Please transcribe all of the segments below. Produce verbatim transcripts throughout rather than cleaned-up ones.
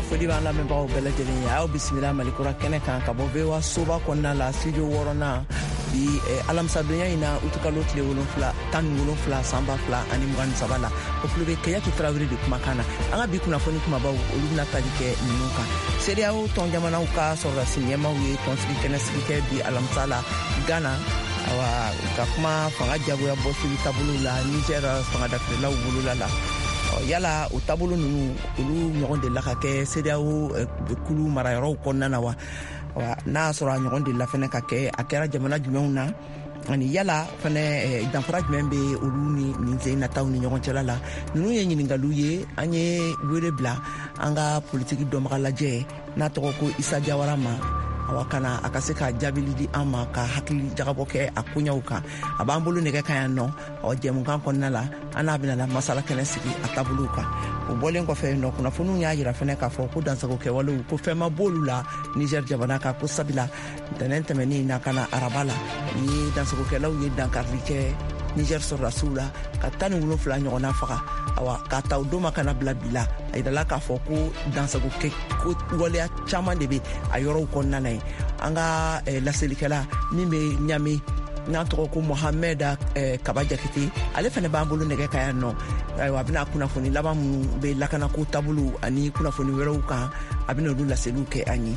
Foli b'an lamɛnbagaw bɛɛ lajɛlen ye. Aw bisimila Malikura kɛnɛ kan ka bɔ V O A soba kɔnɔna la, studio wɔɔrɔnan bi alamisadonya in na, utukalo tile wolonfila tan ni wolonfila san ba fila ani mugan ni saba la. O tulo bɛ Kajatu Tarawele de kumakan na. An ka bi kunnafoni kumabaw, olu bɛna tali kɛ ninnu kan. CEDEAO tɔn jamanaw ka sɔrɔdasi ɲɛmaaw ye tɔnsigi kɛnɛ sigi kɛ bi alamisa la Ghana, awa ka kuma fanga jagoya bɔsili taabolo la Niger fanga dafirilaw bolola la. Yala o taabolo ninnu, olu ɲɔgɔn delila ka kɛ CEDEAO kulu marayɔrɔw kɔnɔna na wa? N'a y'a sɔrɔ a ɲɔgɔn delila fɛnɛ ka kɛ, a kɛra jamana jumɛnw na? Ani yala fɛnɛ danfara jumɛn bɛ olu ni nin sen nataw ni ɲɔgɔn cɛla la? Ninnu ye ɲininkaliw ye. An ye wele bila an ka politiki dɔnbaga lajɛ n'a tɔgɔ ko Isa Jawara ma, awa kana a ka se ka jaabili di an ma, ka hakili jagabɔ kɛ a koɲɛw kan. A b'an bolo nɛgɛ kan yan nɔ. Ɔ jɛmukan kɔnɔna la, an n'a bɛna masala kɛnɛ sigi a taabolow kan. O bɔlen kɔfɛ nɔ, kunnafoniw y'a yira fɛnɛ k'a fɔ ko dansago kɛwalew, ko fɛn ma b'olu la Niger jamana kan, ko sabila ntɛnɛn tɛmɛnen na ka na araba la, ni dansagokɛlaw ye dankarili kɛ Niger sɔrɔdasiw la ka tan ni wolonfila ɲɔgɔnna faga. Awa k'a ta o don ma kana bila bi la, a yirala k'a fɔ ko dansago kɛ ko waleya caman de bɛ a yɔrɔw kɔnɔna na ye. An ka laselikɛla min bɛ Ɲame n'a tɔgɔ ko Mohamed Kaba Jakite, ale fana b'an bolo nɛgɛ kan yan nɔ. Ayiwa, a bɛna kunnafoni laban minnu bɛ lakanako taabolo ani kunnafoni wɛrɛw kan, a bɛna olu laseliw kɛ an ye.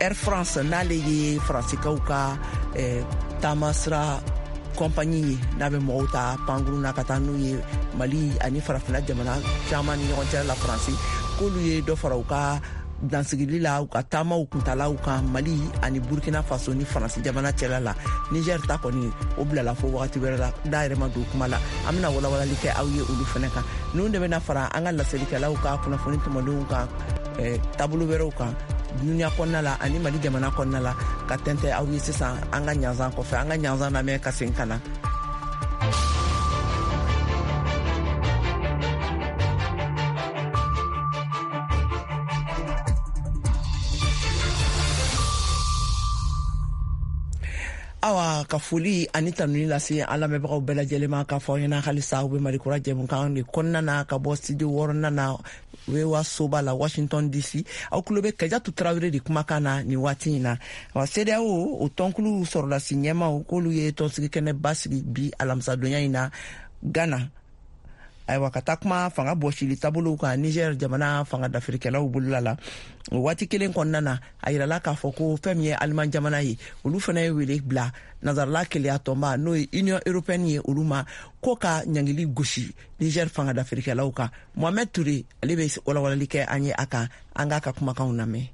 Air France, n'ale ye Faransikaw ka taamasira compagnie ye, n'a bɛ mɔgɔw ta pankurun na ka taa n'u ye Mali ani farafinna jamana caman ni ɲɔgɔn cɛ la Faransi, k'olu ye dɔ fara u ka dansigili la, u ka taamaw kuntalaw kan Mali ani Burkina Faso ni Faransi jamana cɛla la. Niger ta kɔni, o bilala fo wagati wɛrɛ la, da yɛrɛ ma don kuma la. An bɛna walawalali kɛ aw ye olu fɛnɛ kan. Ninnu de bɛna fara an ka laselikɛlaw ka kunnafoni tɔmɔdenw kan taabolo wɛrɛw kan dunuya kɔnɔna la ani Mali jamana kɔnɔna la, ka tɛntɛ aw ye sisan an ka ɲanzan kɔfɛ. An ka ɲanzan lamɛn ka segin ka na. Awa ka foli ani tanuni lase an lamɛnbagaw bɛɛ lajɛlen ma, k'a fɔ aw ɲɛna halisa aw bɛ Malikura jɛmukan de kɔnɔna na ka bɔ studio wɔɔrɔnan na V O A soba la Washington D C. Aw tulo bɛ Kajatu Tarawele de kumakan na nin waati in na. Wa CEDEAO o tɔnkulu sɔrɔdasi ɲɛmaaw, k'olu ye tɔnsigi kɛnɛba sigi bi alamisadonya in na Ghana. Ayiwa, ka taa kuma fanga bɔsili taabolow kan Niger jamana fanga dafirikɛlaw bolola la. O waati kelen kɔnɔna na, a yirala k'a fɔ ko fɛn min ye Aliman jamana ye, olu fana ye wele bila nansarala keleya tɔnba, n'o ye Union européenne ye, olu ma ko ka ɲangili gosi Niger fanga dafirikɛlaw kan. Mohamed Touré, ale bɛ walawalali kɛ an ye a kan. An k'a ka kumakanw lamɛn.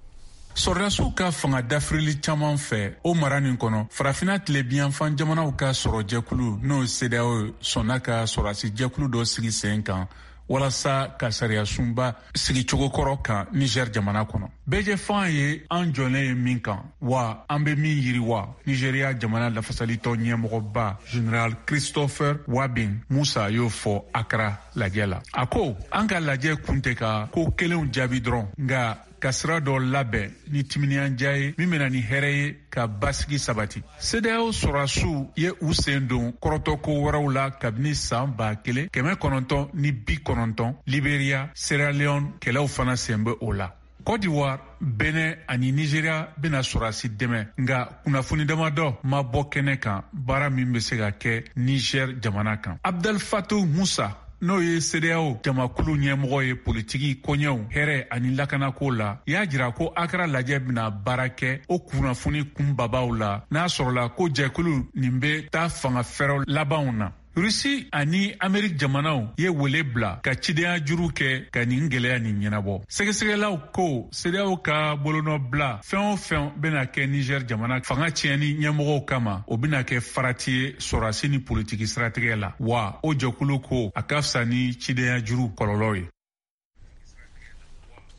Sɔrɔdasiw ka fanga dafirili caman fɛ o mara nin kɔnɔ, farafinna tilebiyanfan jamanaw ka sɔrɔjɛkulu, n'o CEDEAO, sɔnna ka sɔrɔdasi jɛkulu dɔ sigi sen kan walasa ka sariyasunba sigicogo kɔrɔ kan Niger jamana kɔnɔ. Bɛɛjɛfan ye an jɔlen ye min kan, wa an bɛ min yiriwa, Nigeria jamana lafasalitɔn ɲɛmɔgɔba General Christopher Wabin Musa y'o fɔ Accra lajɛ la. A ko an ka lajɛ kun tɛ ka ko kelenw jaabi dɔrɔn, nka ka sira dɔ labɛn ni timinandiya ye min bɛna ni hɛrɛ ye ka basigi sabati. CEDEAO sɔrɔdasiw ye u sen don kɔrɔtɔko wɛrɛw la kabini san ba kelen kɛmɛ kɔnɔntɔn ni bi kɔnɔntɔn. Liberia, Sierra Leone kɛlɛw fana sen bɛ o la. Côte d'Ivoire, Benin ani Nigeria bɛna sɔrɔdasi dɛmɛ, nka kunnafoni damadɔ ma bɔ kɛnɛ kan baara min bɛ se ka kɛ Niger jamana kan. Abdel Fattah Musa, n'o ye CEDEAO jamakulu ɲɛmɔgɔ ye politiki koɲɛw, hɛrɛ ani lakanako la, y'a jira ko Accra lajɛ bɛna baara kɛ o kunnafoni kunbabaw la, n'a sɔrɔla ko jɛkulu nin bɛ taa fanga fɛɛrɛw labanw na. Rusi ani Amerik jamanaw ye wele bila ka cidenya juru kɛ ka nin gwɛlɛya nin ɲɛnabɔ. Sɛgɛsɛgɛlaw ko CEDEAO ka bolonɔbila fɛn o fɛn bɛna kɛ Niger jamana fanga tiɲɛni ɲɛmɔgɔw kama, o bɛna kɛ farati ye sɔrɔdasi ni politiki siratigɛ la, wa o jɛkulu ko a ka fisa ni cidenya juru kɔlɔlɔ ye.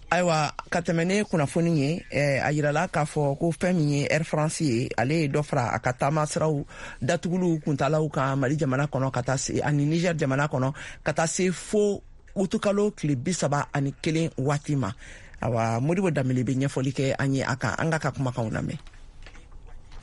Ayiwa, ka tɛmɛ ne kunnafoni ye, a yirala k'a fɔ ko fɛn min ye Air France ye, ale ye dɔ fara a ka taamasiraw datuguliw kuntalaw kan Mali jamana kɔnɔ ka taa se ani Niger jamana kɔnɔ ka taa se fo utukalo tile bi saba ani kelen waati ma. Awa, Modibo Danbele bɛ ɲɛfɔli kɛ an ye a kan. An k'a ka kumakanw lamɛn.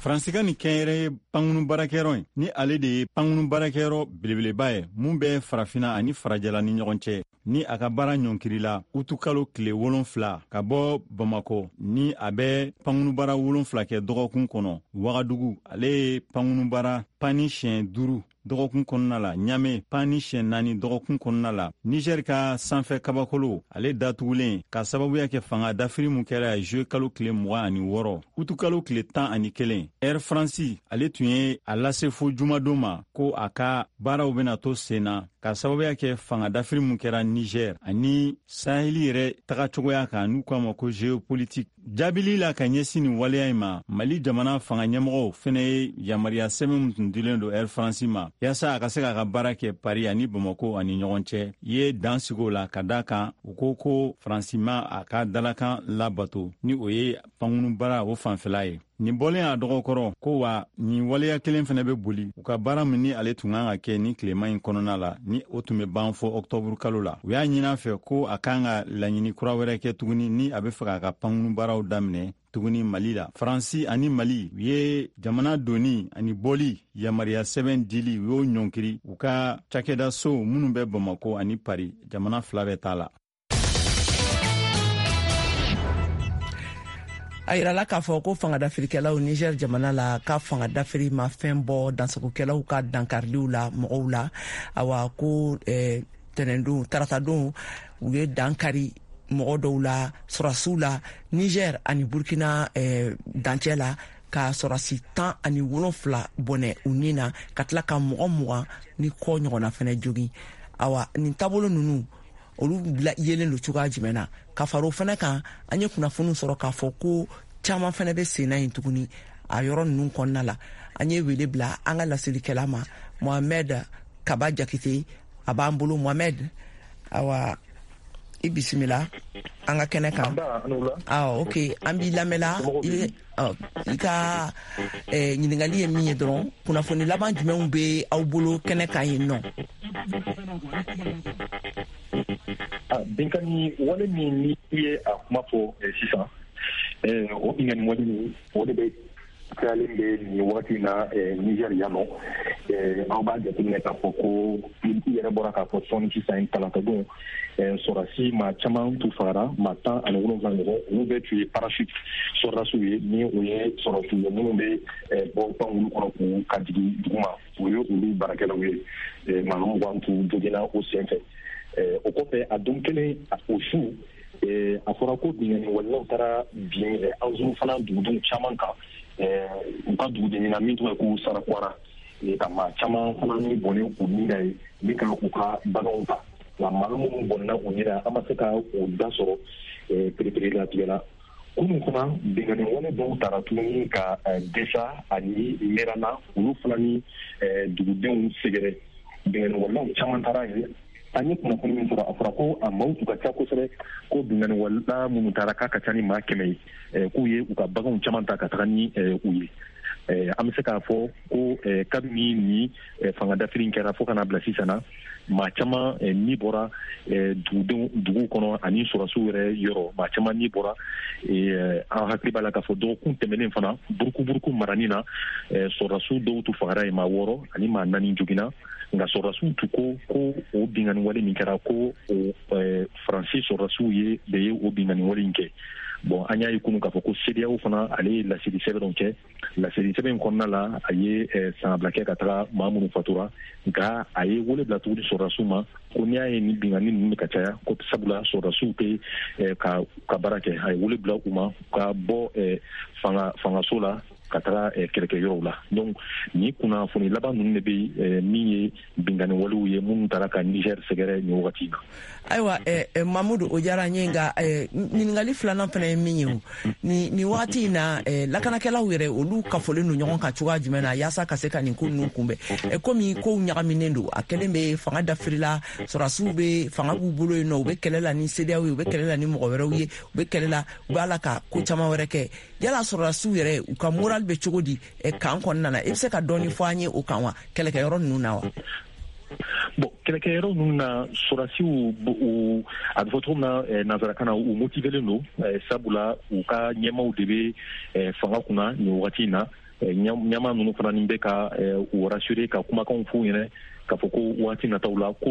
Faransi ka nin kɛnyɛrɛye pankunu baarakɛyɔrɔ in, ni ale de ye pankunu baarakɛyɔrɔ belebeleba ye mun bɛ farafinna ani farajɛla ni ɲɔgɔn cɛ. ni a ka baara ɲɔnkirila utukalo tile wolonfila ka bɔ Bamakɔ, ni a bɛ pankurunbaara wolonfila kɛ dɔgɔkun kɔnɔ. Wagadugu, ale ye pankurunbaara panni siɲɛ duuru dɔgɔkun kɔnɔna la. Ɲame, panni siɲɛ naani dɔgɔkun kɔnɔna la. Niger ka sanfɛ kabakolo, ale datugulen ka sababuya kɛ fanga dafiri mun kɛra juillet kalo tile mugan ani wɔɔrɔ. Utukalo tile tan ani kelen, Air France, ale tun ye a lase fo jumadon ma ko a ka baaraw bena to sen na ka sababuya kɛ fanga dafiri mun kɛra Niger ani Saheli yɛrɛ tagacogoya kan, n'u k'a ma ko géopolitique. Jaabili la ka ɲɛsin nin waleya in ma, Mali jamana fanga ɲɛmɔgɔw fɛnɛ ye yamaruya sɛbɛn min tun dilen don Air France ma yaasa a ka se k'a ka baara kɛ Paris ani Bamako ani ɲɔgɔn cɛ, ye dan sigi o la, ka da kan u ko ko Faransi ma a ka dalakan labato, ni o ye pankurunbaara o fanfɛla ye. Nin bɔlen a dɔgɔkɔrɔ ko wa, nin waleya kelen fɛnɛ bɛ boli u ka baara min ni ale tun kan ka kɛ ni tilema in kɔnɔna la, ni o tun bɛ ban fɔ ɔktɔburu kalo la. U y'a ɲini a fɛ ko a kan ka laɲini kura wɛrɛ kɛ tuguni ni a bɛ fɛ k'a ka pankurun baaraw daminɛ tuguni Mali la. Faransi ani Mali, u ye jamana doni ani bɔli yamaruya sɛbɛn dili, u y'o ɲɔnkiri u ka cakɛdasow minnu bɛ Bamako ani Paris, jamana fila bɛ t'a la. A yirala k'a fɔ ko fangadafirikɛlaw Niger jamana la ka fangadafiri ma fɛn bɔ dansagokɛlaw ka dankariliw la mɔgɔw la. Awa, ko eh, tɛnɛndon, taratadon, u ye dankari mɔgɔ dɔw la, sɔrɔdasiw la, Niger ani Burkina eh, dancɛ la, ka sɔrɔdasi tan ani wolonfila bɔnɛ u ni na, ka tila ka mɔgɔ mugan ni kɔ ɲɔgɔnna fɛnɛ jogin. Awa, nin taabolo ninnu, olu yelen don cogoya jumɛn na? Ka fara o fɛnɛ kan, an ye kunnafoniw sɔrɔ k'a fɔ ko caman fɛnɛ bɛ senna yen tuguni a yɔrɔ ninnu kɔnɔna la. An ye wele bila an ka laselikɛla ma, Mohamed Kaba Jakite, a b'an bolo. Mohamed, awa, i bisimila an ka kɛnɛ kan. Awɔ, ok, an b'i lamɛnla. I ka ɲininkali ye min ye dɔrɔn, kunnafoni laban jumɛnw bɛ aw bolo kɛnɛ kan yen nɔ? Binkani wale min ni i ye a kuma fɔ sisan, o binkani wale min, o de bɛ cayalen bɛ nin wagati in na Niger yan nɔ. Aw b'a jateminɛ k'a fɔ ko i yɛrɛ bɔra k'a fɔ sɔɔni sisan, talatadon, sɔrɔdasi maa caman tun fagara, maa tan ani wolonwula ɲɔgɔn. Olu bɛɛ tun ye parachute sɔrɔdasiw ye, ni o ye sɔrɔdasiw ye minnu bɛ bɔ pankulu kɔnɔ k'u ka jigin duguma, o ye olu baarakɛlaw ye. Maa mugan tun joginna o sen fɛ. O kɔfɛ, a don kelen, o su, a fɔra ko binkani walew taara bin Anzuru fana dugudenw caman kan, u ka duguden na min tɔgɔ ye ko Sarakwara, ka maa caman fana ni bɔnɛ u ni na ye ni ka u ka baganw ta. Nka maa minnu bɔnɛna u ni na, an ma se ka o da sɔrɔ pereperelatigɛ la. Kunun fana, binkani wale dɔw taara tuguni ka Desa ani Merana, olu fana ni dugudenw sɛgɛrɛ. Binkani walew caman taara yen. An ye kunnafoni min sɔrɔ, a fɔra ko a maaw tun ka ca kosɛbɛ, ko binkani waleya minnu taara k'a ka ca ni maa kɛmɛ ye, k'u ye u ka baganw caman ta ka taga ni u ye. An bɛ se k'a fɔ ko kabini ni fanga dafiri kɛra fo ka n'a bila sisan na, maa caman ni bɔra dugudenw dugu kɔnɔ ani sɔrɔdasiw yɛrɛ yɔrɔ, maa caman ni bɔra. An hakili b'a la k'a fɔ dɔgɔkun tɛmɛnen fana, Burukuburuku marani na, sɔrɔdasiw dɔw tun fagara yen, maa wɔɔrɔ ani maa naani joginna. Nka sɔrɔdasiw tun ko ko o binkani wale min kɛra, ko o Faransi sɔrɔdasiw ye de ye o binkani wale in kɛ. Bon, an y'a ye kunun k'a fɔ ko CEDEAO fana, ale ye laseli sɛbɛn dɔ kɛ. Laseli sɛbɛn in kɔnɔna la, a ye sangabila kɛ ka taga maa minnu fatura, nka a ye wele bila tuguni sɔrɔdasiw ma ko n'i y'a ye ni binkani ninnu bɛ ka caya, ko sabula sɔrɔdasiw tɛ ka ka baara kɛ. A ye wele bila u ma ka bɔ fanga fangaso la ka taga kɛlɛkɛyɔrɔw la. Donc nin kunnafoni laban ninnu de bɛ min ye binkani walew ye minnu taara ka Niger sɛgɛrɛ nin wagati in na. Ayiwa, Mamudu, o diyara n ye, nka ɲininkali filanan fana ye min ye, o nin nin wagati in na, lakanakɛlaw yɛrɛ, olu kafolen don ɲɔgɔn kan cogoya jumɛn na yaasa ka se ka nin ko ninnu kunbɛn? Komi kow ɲagaminen don, a kɛlen bɛ fanga dafirila, sɔrɔdasiw bɛ fanga b'u bolo yen nɔ, u bɛ kɛlɛ la ni CEDEAO ye, u bɛ kɛlɛ la ni mɔgɔ wɛrɛw ye, u bɛ kɛlɛ la, u b'a la ka ko caman wɛrɛ kɛ. Yala sɔrɔdasiw yɛrɛ, u ka moral bɛ cogo di kan kɔnɔna na? I bɛ se ka dɔɔni fɔ an ye o kan wa, kɛlɛkɛyɔrɔ ninnu na wa? Bon, kɛlɛkɛyɔrɔ ninnu na, sɔrɔdasiw, a bɛ fɔ cogo min na nanzarakan na, u motivelen don, sabula u ka ɲɛmaaw de bɛ fanga kunna nin wagati in na. Ɲɛmaa ninnu fana ni bɛ ka u rassurer, ka kumakanw f'u ɲɛna k'a fɔ ko waati nataw la ko